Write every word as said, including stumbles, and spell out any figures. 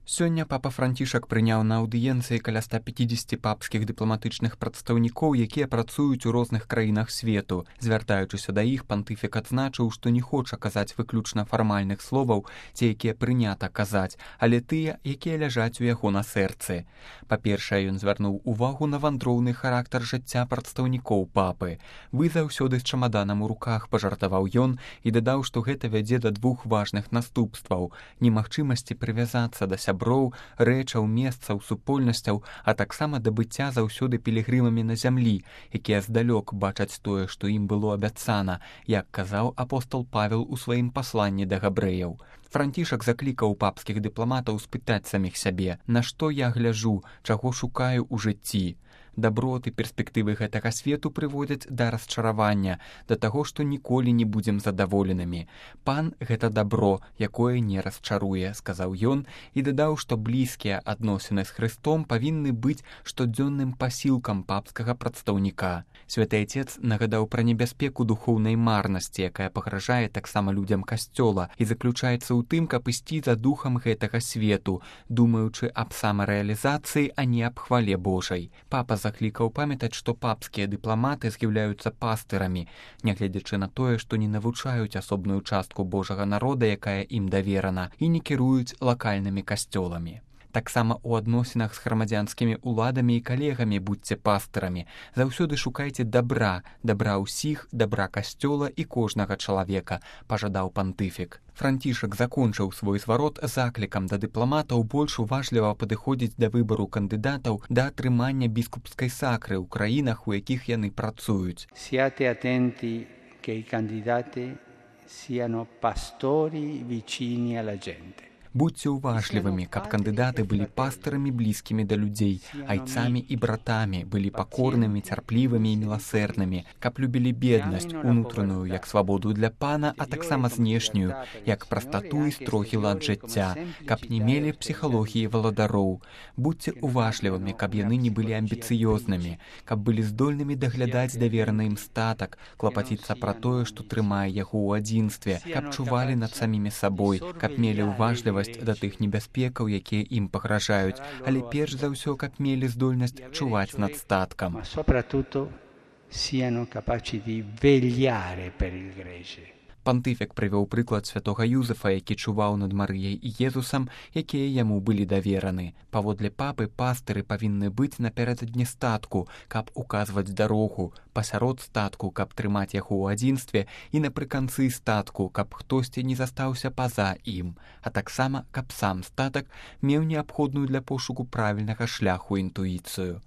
Сёння папа Францішак прыняў на аўдыенцыі каля ста пяцідзесяці папскіх дыпламатычных прадстаўнікоў, якія працуюць у розных краінах свету. Звяртаючыся да іх, пантыфік адзначыў, што не хоча казаць выключна фармальных словаў, ці якія прынята казаць, але тыя, якія ляжаць у яго на сэрцы. Па-першае, ён звярнуў увагу на вандроўны характар жыцця прадстаўнікоў папы. «Вы заўсёды з чамаданам у руках», пажартаваў ён і дадаў, што гэта вядзе да двух важных наступстваў – немагчымасці прывязацца да сяброў, рэчаў, месцаў, супольнасцяў, а таксама да быцця заўсёды пілігрымамі на зямлі, якія здалёк бачаць тое, што ім было абяцана, як казаў апостол Павел у сваім пасланні да габрэяў. Францішак заклікаў папскіх дыпламатаў спытаць саміх сябе, на што я гляджу, чаго шукаю ў жыцці. Даброты, перспектывы гэтага свету прыводзяць да расчаравання, да таго, што ніколі не будзем задаволенымі. Пан – гэта дабро, якое не расчаруе, сказаў ён і дадаў, што блізкія адносіны з Хрыстом павінны быць штодзённым пасілкам папскага прадстаўніка. Святы Отец нагадаў пра небяспеку духоўнай марнасці, якая пагражае таксама людзям касцёла і заключаецца ў тым, каб ісці за духам гэтага свету, думаючы аб самарэалізацыі, а не аб хвале Божай. Папа заклікаў памятаць, што папскія дыпламаты з'яўляюцца пастырамі, нягледзячы на тое, што не навучаюць асобную частку Божага народа, якая ім даверана, і не кіруюць лакальнымі касцёламі. Таксама ў адносінах з грамадзянскімі ўладамі і калегамі будзьце пастырамі. Заўсёды шукайце дабра, дабра ўсіх, дабра касцёла і кожнага чалавека, пажадаў пантыфік. Францішак закончыў свой зварот заклікам да дыпламатаў больш уважліва падыходзіць да выбару кандыдатаў да атрымання біскупскай сакры ў краінах, у якіх яны працуюць. Siate attenti che i candidati siano pastori vicini alla gente. Будьце уважлівымі, каб кандыдаты былі пастырамі блізкімі да людзей, айцамі і братамі, былі пакорнымі, цярплівымі і міласэрнымі, каб любілі беднасць, унутраную, як свабоду для пана, а таксама знешнюю, як прастату і строгі лад жыцця, каб не мелі псіхалогіі валадароў. Будьце уважлівымі, каб яны не былі амбіцыёзнымі, каб былі здольнымі даглядаць давераны ім статак, клапаціцца пра тое, што трымае яго ў адзінстве, каб чувалі над самімі сабой, каб мелі уважлівасць да тых небяспекаў, якія ім пагражаюць, але перш за ўсё, каб мелі здольнасць чуваць над статкам. Пантыфік прывёў прыклад святога Юзефа, які чуваў над Марыяй і Езусам, якія яму былі давераны. Паводле папы, пастыры павінны быць напярэдадні статку, каб указваць дарогу, пасярод статку, каб трымаць яго ў адзінстве, і напрыканцы статку, каб хтосьці не застаўся па-за ім, а таксама, каб сам статак меў неабходную для пошуку правільнага шляху інтуіцыю.